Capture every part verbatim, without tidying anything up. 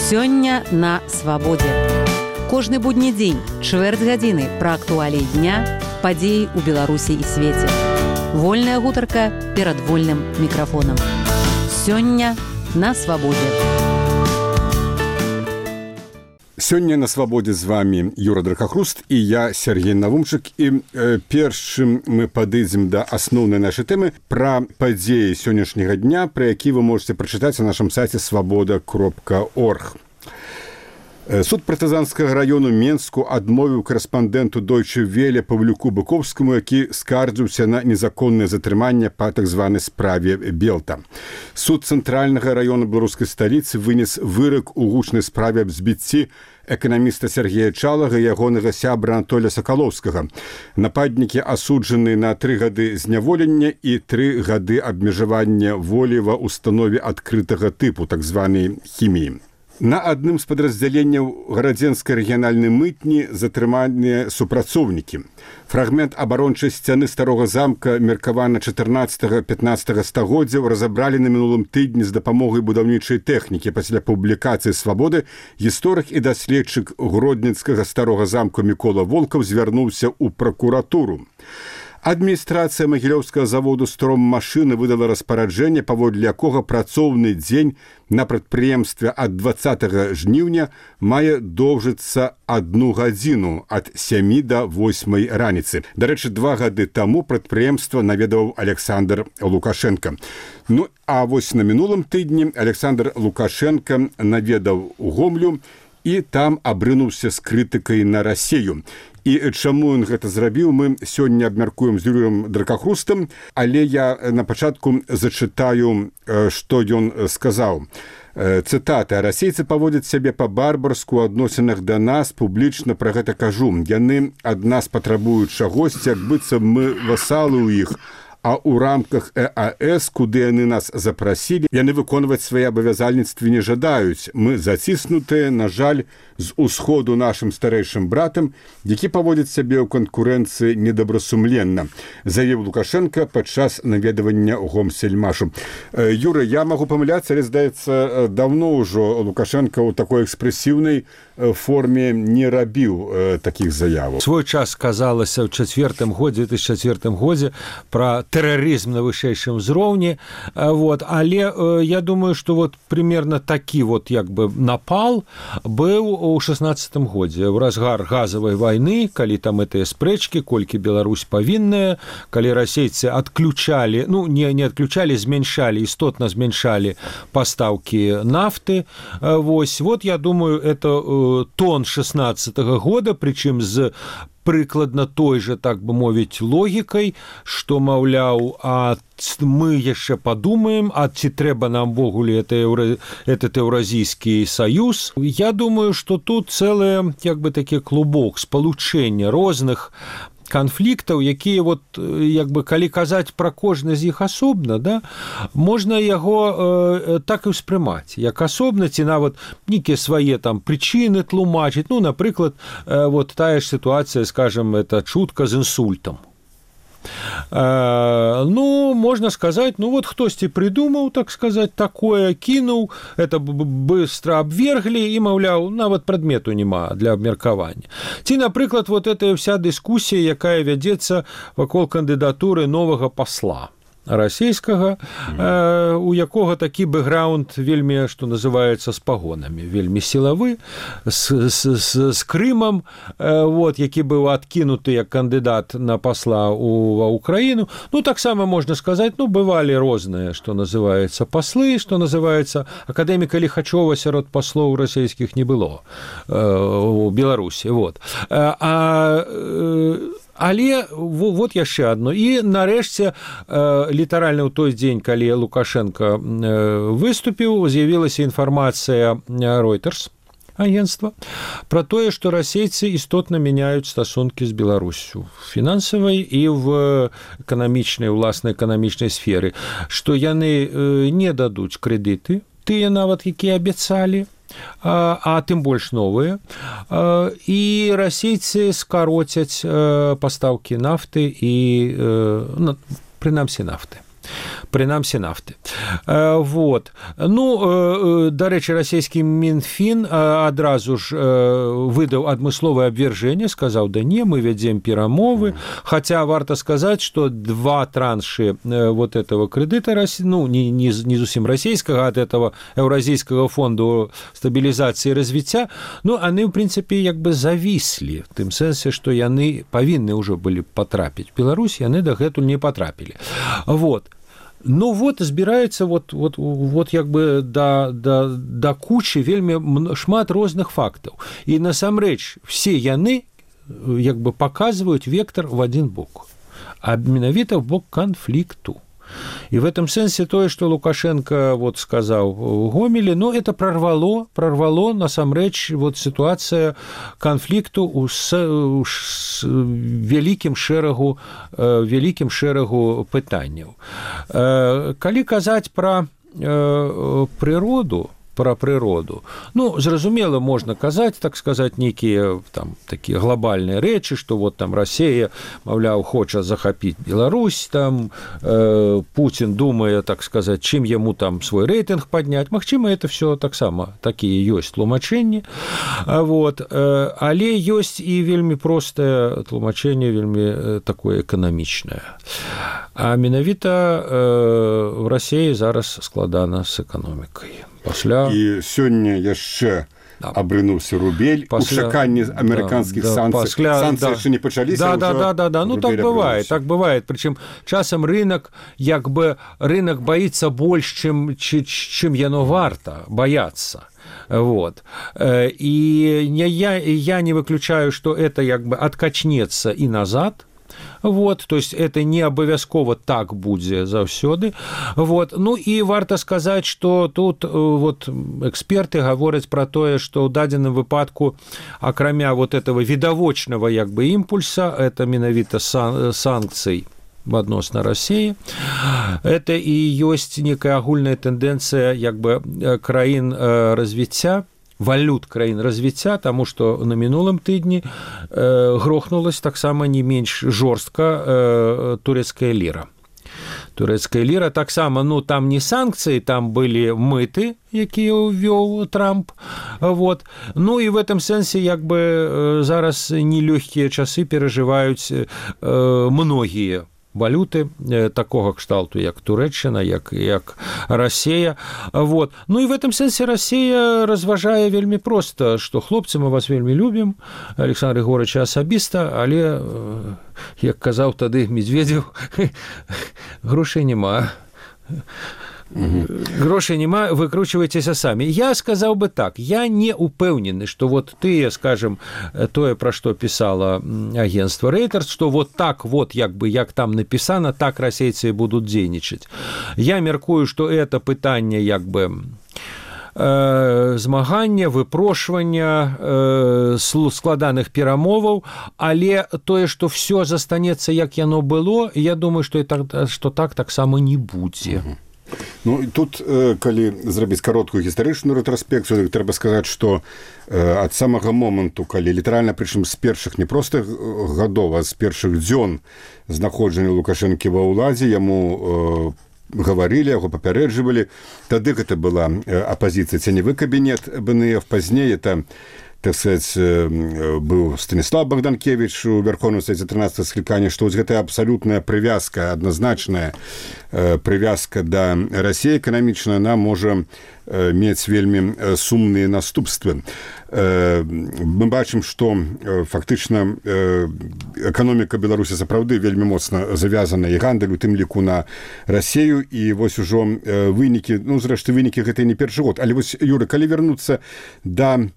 Сёння на свабодзе. Кожны будні дзень, чвэрць гадзіны пра актуаліі дня, падзеі ў Беларусі і свеце. Вольная гутарка перад вольным мікрафонам. Сёння на свабодзе. Сёння на свабодзе з вами Юра Дракахруст і я, Сергей Навумчык. І э, першым мы падыдзем да асноўнай нашай тэмы пра падзеі сённяшняга дня, пра які вы можете прачытаць на нашым сайце свабода кропка орг. Суд партызанскага раёну Менску адмовіў корэспандэнту Deutsche Welle Павлюку Быковскаму, які скардзіўся на незаконнае затрыманне па так званай справе Белта. Суд цэнтральнага раёна беларускай сталіцы вынес вырак у гучнай справе аб збіцці эканаміста Сергея Чалага і ягонага сябра Анатолія Сакалоўскага. Нападнікі асуджаны на тры гады зняволення і тры гады абмежавання волі ва установе адкрытага тыпу, так званай хіміі. На адным з падраздзяленняў гарадзенскай рэгіянальнай мытні затрыманыя супрацоўнікі. Фрагмент абарончай сцяны старога замка, меркавана чатырнаццатага-пятнаццатага стагоддзяў, разабралі на мінулым тыдні з дапамогай будаўнічай тэхнікі. Пасля публікацыі «Свабоды» гісторык і даследчык гродніцкага старога замку Мікола Волкаў звярнуўся ў пракуратуру. Адміністрацыя магілёўскага заводу «Строммашыны» выдала распараджэнне, паводле якога працоўны дзень на прадпрыемстве ад дваццатага жніўня мае доўжыцца адну гадзіну ад сямі да восьмай раніцы. Дарэчы, два гады таму прадпрыемства наведаў Александр Лукашенко. Ну, а вось на мінулым тыдні Александр Лукашенко наведаў Гомлю і там абрынуўся з крытыкай на Расею. І чаму ён гэта зрабіў, мы сёння абмяркуем з Юрыем Дракахрустам, але я на пачатку зачытаю, што ён сказаў. Цытата: «Расейцы паводзяць сябе па-барбарску ў адносінах да нас, публічна пра гэта кажу. Яны ад нас патрабуюць чагосьці, як быццам мы васалы ў іх, а ў рамках э а эс, куды яны нас запрасілі, яны выконваць свае абавязальніцтвы не жадаюць. Мы заціснутыя, на жаль, з усходу нашым старэйшым братам, які паводзіць сябе ў канкурэнцыі недобрасумленна», заявіў Лукашенко падчас наведавання Гомсельмашу. Юра, я магу памыляцца, але, здаецца, даўно ўжо Лукашенко ў такой экспрэсіўнай форме не рабіў такіх заяваў. Свой час казалася ў чацвёртым годзе, две тысячи четвёртым годзе пра тэрарызм на вышэйшым узроўні, вот, але э, я думаю, што вот примерно такі вот як бы напал быў у шестнадцатым годзе, ў разгар газавай вайны, калі там гэтыя спрэчкі, колькі Беларусь павінная, калі расейцы адключалі, ну не, не адключалі, змяншалі, істотна змяншалі пастаўкі нафты. Вось, вот я думаю, это э, тон шестнадцатага года, прычым з прыкладна той же, так бы мовіць, логікай, што, маўляў, а мы яшчэ падумаем, а ці трэба нам ввогуле этот Еўразійскі саюз. Я думаю, што тут цэлы, як бы, такі клубок спалучэння розных канфліктаў, якія вот, як бы, калі казаць пра кожны з іх асобна, да, можна яго э, так і ўспрымаць, як асобна, ці нават нейкія свае там прычыны тлумачыць. Ну, напрыклад, э, вот тая ж сітуацыя, скажем, это чутка з інсультам. Э, ну, можна сказаць, ну вот хтосьці придумаў, так сказаць, такое, кінуў, это быстро абверглі і, маўляў, нават прадмету няма для абмеркавання. Ці, напрыклад, вот эта вся дыскусія, якая вядзецца вакол кандыдатуры новага пасла расійскага, э, у якога такі бэкграунд вельмі, што называецца, з пагонамі, вельмі сілавы, з, з, з, з Крымам, э, вот, які быў адкінуты як кандыдат на пасла ў Украіну. Ну, таксама можна сказаць, ну, бывалі розныя, што называецца, паслы, што называецца, акадэміка Ліхачова сярод паслоў расійскіх не было э, у Беларусі. Вот. А, а э, Але вот яшчэ адно. І нарэшце, літаральна ў той дзень, калі Лукашенко выступіў, з'явілася інфармацыя Reuters агентства пра тое, што расейцы істотна мяняюць стасункі з Беларусю фінансавай і в эканамічнай, уласнай эканамічнай сферы, што яны не дадуць крэдыты, тыя нават, якія абяцалі, а, а тым больш новыя, і расейцы скароцяць пастаўкі нафты і, прынамсі, нафты. прынамсі нафты. Вот. Ну, дарэчы, расійскі Мінфін адразу ж выдаў адмысловае абвяржэнне, сказаў, да не, мы вядзем перамовы, хотя варта сказаць, што два траншы вот этого крэдыта, ну, не, не, не зусім расійскага, ад этого Еўразійскага фонду стабілізацыі і развіцця, ну, яны, в прынцыпе, як бы завіслі, в тым сэнсе, што яны павінны ўжо былі патрапіць в Беларусь, яны дагэтуль не патрапілі. Вот. Ну вот збіраецца вот, вот, вот як бы да, да, да кучы вельмі шмат розных фактаў. І насамрэч все яны як бы паказваюць вектор в один бок, а менавіта в бок канфлікту. И в этом сенсе то, что Лукашенко вот сказал в Гомеле, ну, это прорвало, прорвало, насамрэч, вот ситуация конфликту с, с великим шэрагу, великим шэрагу пытанняў. Калі казаць про природу, про прыроду. Ну, зразумела, можна казаць, так сказаць, нейкія там такія глобальныя рэчы, што вот там Расія, маўляў, хоча захапіць Беларусь, там э, Путин думае, так сказаць, чым яму там свой рэйтынг падняць. Магчыма, это все таксама такія ёсць тлумачэнні. Вот. Але ёсць і вельмі простае тлумачэнне, вельмі такое эканамічнае. А менавіта э, в Расіі зараз складана з эканомікай. Пасля... І сёння яшчэ да. абрынуўся рубель, пасля... у чаканні амерыканскіх да, санкцый. Пасля... Санкцыі яшчэ да. не пачаліся, да, да, да, да, да. Ну, так бывае, так бывае. Прычым часам рынок, як бы, рынок баіцца больш, чым, чым яно варта баяцца. Вот. І я, я не выключаю, што это як бы адкачнецца і назад. Вот, то есть это не абавязкова так будзе заўсёды. Вот. Ну і варта сказаць, што тут вот эксперты гавораць пра тое, што ў дадзеным выпадку акрамя вот этого відавочнага як бы імпульса, это менавіта сан- санкцый адносна Расіі, это і ёсць некая агульная тэндэнцыя як бы краін развіцця, валют краін развіцця, таму што на мінулым тыдні э, грохнулась таксама не менш жорстка э, турэцкая ліра. Турэцкая ліра таксама, ну, там не санкцыі, там былі мыты, якія ўвёў Трамп. Вот. Ну, і в этом сэнсе, як бы, зараз нелёгкія часы перажываюць э, многія валюты такого кшталту, як Турэччына, як, як Расія. Вот. Ну і в этом сэнсе Расія разважае вельмі проста, што хлопцы, мы вас вельмі любім, Александр Григорьевич асабіста, але, як казаў тады Медведев, грошай няма. Угу. Грошай няма, выкручивайтеся самі. Я сказаў бы так, я не упэўнены, што вот тыя, скажем, тое, пра што пісала агентство Reuters, што вот так вот, як бы, як там напісана, так расейцы будуць дзейнічаць. Я мяркую, што это пытанне, як бы, э, змагання, выпрошвання, э, складаных перамоваў, але тое, што все застанецца, як яно было, я думаю, што, так, што так таксама не будзе. Угу. Ну, тут, калі зрабіць кароткую гістарычную рэтраспекцыю, трэба сказаць, што ад самага моманту, калі літаральна, прычым з першых не проста гадоў, а з першых дзён знаходжання Лукашэнкі ва ўладзе, яму гаварылі, яго папярэджвалі. Тады гэта была апазіцыя ценевы кабінет бэ эн эф, пазней это, так сказать, быў Станіслав Богданкевич у Верховным Совете тринадцатого склікання, што гэтая абсалютная прывязка, адназначная прывязка да Расіі эканамічная, она можа мець вельмі сумныя наступствы. Мы бачым, што фактычна эканоміка Беларусі сапраўды вельмі моцна завязана і гандаль, у тым ліку на Расію, і вось ужо вынікі, ну, зрэшты, вынікі гэта не першы год. Але вось, Юра, калі вярнуцца да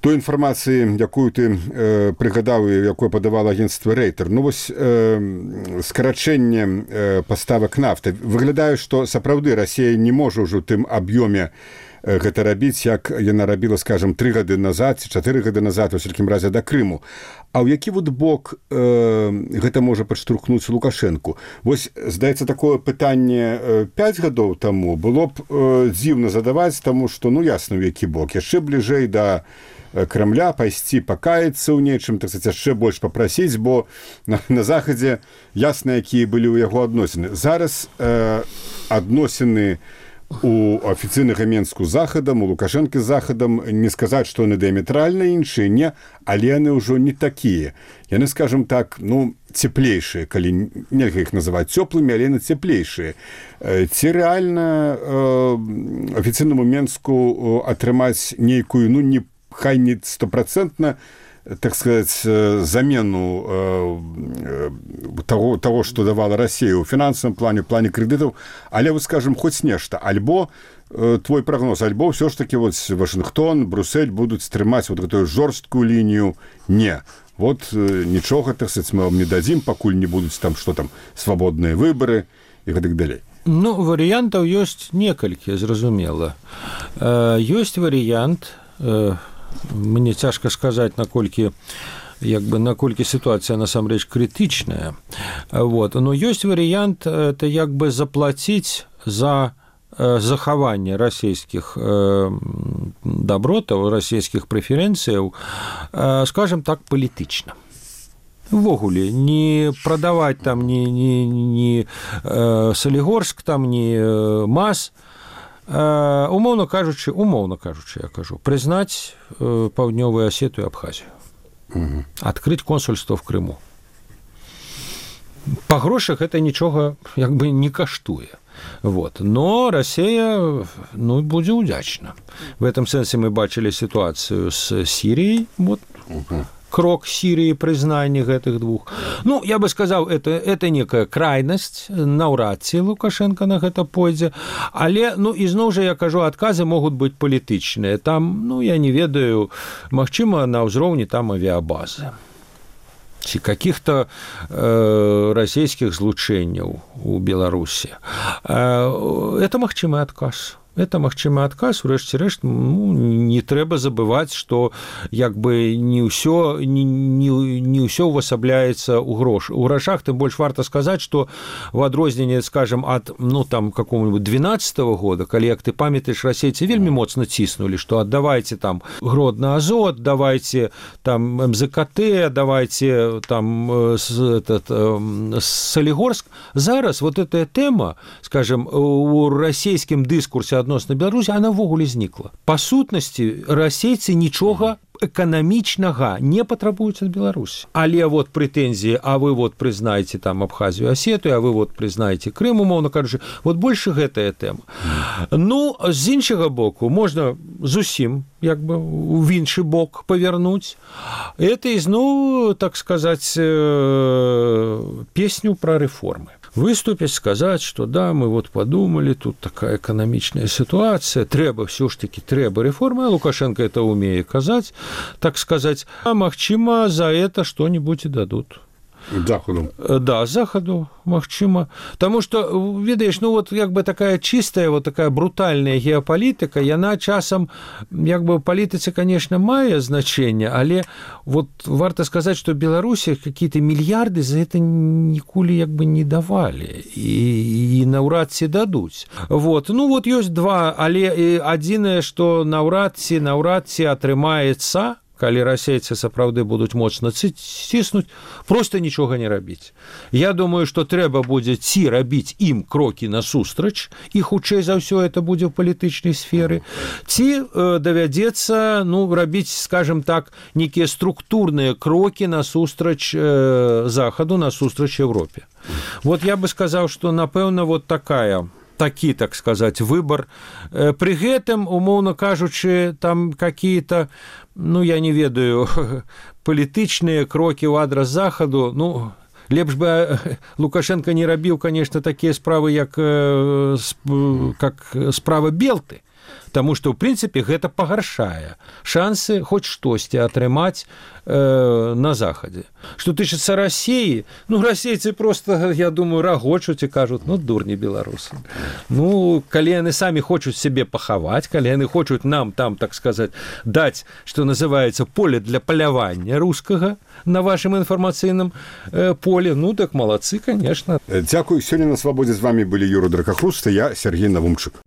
той інфармацыі, якую ты э, прыгадаў і якую падавала агентства Рейтер, ну вось э, скарачэнне э, паставак нафты. Выглядае, што сапраўды Расія не можа ўжо ў тым аб'ёме э, гэта рабіць, як яна рабіла, скажем, тры гады назад ці чатыры гады назад, у всякім разе да Крыму. А ў які вот бок э, гэта можа падштурхнуць Лукашэнку? Вось, здаецца, такое пытанне э, пяць гадоў таму было б э, дзіўна задаваць, таму што, ну, ясна, у які бок. Яшчэ бліжэй да Кремля, пайсці пакаяцца ў нечым, так сказать, яшчэ больш папрасіць, бо на, на захадзе ясна, якія былі ў яго адносіны. Зараз э, адносіны у афіцыйнага Менску з захадам, у Лукашэнкі з захадам, не сказаць, што яны дыаметральна іншыя, не, але яны ўжо не такія. Яны, скажем так, ну, цеплейшыя, калі нельга іх называць цёплымі, але яны цеплейшыя. Ці рэальна э, афіцыйнаму Менску атрымаць нейкую, ну, не, хай не стопроцентна, так сказать, замену э, того, того, что давала Россия ў фінансавым плане, в плане кредитов, але, вот, скажем, хоть нешта, альбо э, твой прогноз, альбо все ж таки вот Вашингтон, Брюссель будут стрымаць вот эту жорсткую линию, не. Вот э, нічога, так сказать, мы вам не дадим, пакуль не будут там, что там, свободные выборы и так далее. Ну, вариантов есть некалькі, зразумела. Э, есть вариант... Э... Мне цяжка сказаць, наколькі як бы наколькі сітуацыя насамрэч крытычная. Вот. Но ёсць варыянт это як бы заплаціць за захаванне расійскіх дабротаў, расійскіх прэферэнцыяў, скажем так, палітычна. Увогуле, не прадаваць там ні, ні, ні Салігорск, там, ні МАЗ, Uh, умоўна кажучы, умоўна кажучы, я кажу, прызнаць uh, Паўднёвую Асетыю і Абхазію. Uh-huh. Адкрыць консульство в Крыму. Па грошах это нічога як бы не каштуе. Вот. Но Россия, ну, будзе ўдзячна. В этом сэнсе мы бачылі сітуацыю з Сіріяй, вот, uh-huh. крок Сирии, признание этих двух. Ну, я бы сказал, это, это некая крайность, наўрад ці Лукашенко на гэта пойдзе, але, ну, ізноў жа, я кажу, адказы могуць быць палітычныя. Там, ну, я не ведаю, магчыма, на ўзроўні там авиабазы. Ці каких-то э, расійскіх злучэнняў у Беларусі. Э, это магчымы адказ. Это магчымы адказ, урэшце рэшт, ну, не трэба забываць, што як бы не ўсё не, не, не ўсё увасабляецца ў грош. У грашах тым больш варта сказаць, што в адрозненне, скажем, ад, ну, там, какого-нибудь двенадцатого года, калі, як ты памятаеш, расейцы вельмі моцна ціснулі, што аддавайце там Гродно Азот, давайте там эм зэ ка тэ, давайте там этот, Солигорск. Зараз вот эта тэма, скажем, у расійскім дыскурсе адносна Беларусі, она ввогуле знікла. Па сутнасці, расейцы нічога эканамічнага не патрабуюць ад Беларусі. Але вот прэтэнзіі, а вы вот прызнаеце там Абхазію, Асетыю, а вы вот прызнаеце Крым, умоўна кажучы, вот больше гэтая тэма. Ну, з іншага боку, можна зусім як бы в іншы бок павярнуць. Это ізноў, так сказаць, песню пра рэформы. Выступить, сказать, что да, мы вот подумали, тут такая экономичная ситуация, трэба, все ж таки трэба реформы, а Лукашенко это умеет казать, так сказать, а магчыма за это что-нибудь и дадут. Заходу. Да, заходу, магчыма. Потому что, ведаеш, ну вот як бы такая чистая, вот такая брутальная геополитика, яна часам, як бы палітыцы, конечно, мае значение, але вот варта сказать, что Беларуси какие-то миллиарды за это ніколі як бы не давали и, и наўрад ці дадуць. Вот. Ну вот есть два, але адзінае, что наўрад ці, наўрад ці атрымаецца, калі расейцы сапраўды будуць моцна ціснуць, просто нічога не рабіць. Я думаю, што трэба будзе ці рабіць ім крокі насустрач, і хутчэй за ўсё это будзе ў палітычнай сферы, ці э, давядзецца, ну, рабіць, скажем так, некія структурныя крокі насустрач э, Захаду, насустрач Европе. Вот я бы сказаў, што, напэўна, вот такая... такі, так сказать, выбор. При гэтым, умоўна кажучы, там какие-то, ну, я не ведаю, палітычныя крокі ў адрас Захаду, ну, лепш бы Лукашенко не рабіў, конечно, такія справы, як, как справа Белты, потому что, в принципе, гэта пагаршае шансы хоть штосьці атрымаць э, на Захадзе. Што тычыцца Расіі, ну, расейцы просто, я думаю, рагочуць і кажуць, ну, дурні беларусы. Ну, калі яны самі хочуць сябе пахаваць, калі яны хочуць нам там, так сказать, даць, што называецца, поле для палявання рускага на вашым інфармацыйным э, поле, ну, так малацы, конечно. Дзякуй. Сёння на Свабодзе з вами былі Юра Дракахруст і я, Сергей Навумчык.